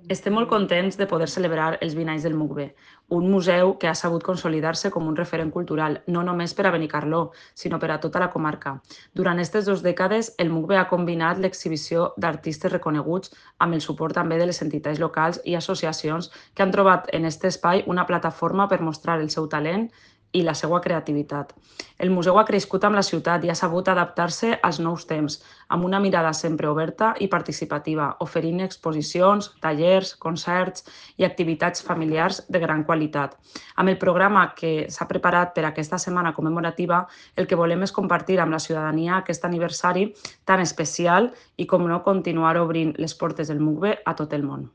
Estem molt contents de poder celebrar els 20 anys del MUCBE, un museu que ha sabut consolidar-se com un referent cultural, no només per a Benicarló, sinó per a tota la comarca. Durant aquestes 2 dècades, el MUCBE ha combinat l'exhibició d'artistes reconeguts amb el suport també de les entitats locals i associacions que han trobat en aquest espai una plataforma per mostrar el seu talent i la seva creativitat. El museu ha crescut amb la ciutat i ha sabut adaptar-se als nous temps, amb una mirada sempre oberta i participativa, oferint exposicions, tallers, concerts i activitats familiars de gran qualitat. Amb el programa que s'ha preparat per aquesta setmana commemorativa, el que volem és compartir amb la ciutadania aquest aniversari tan especial i, com no, continuar obrint les portes del MUCBE a tot el món.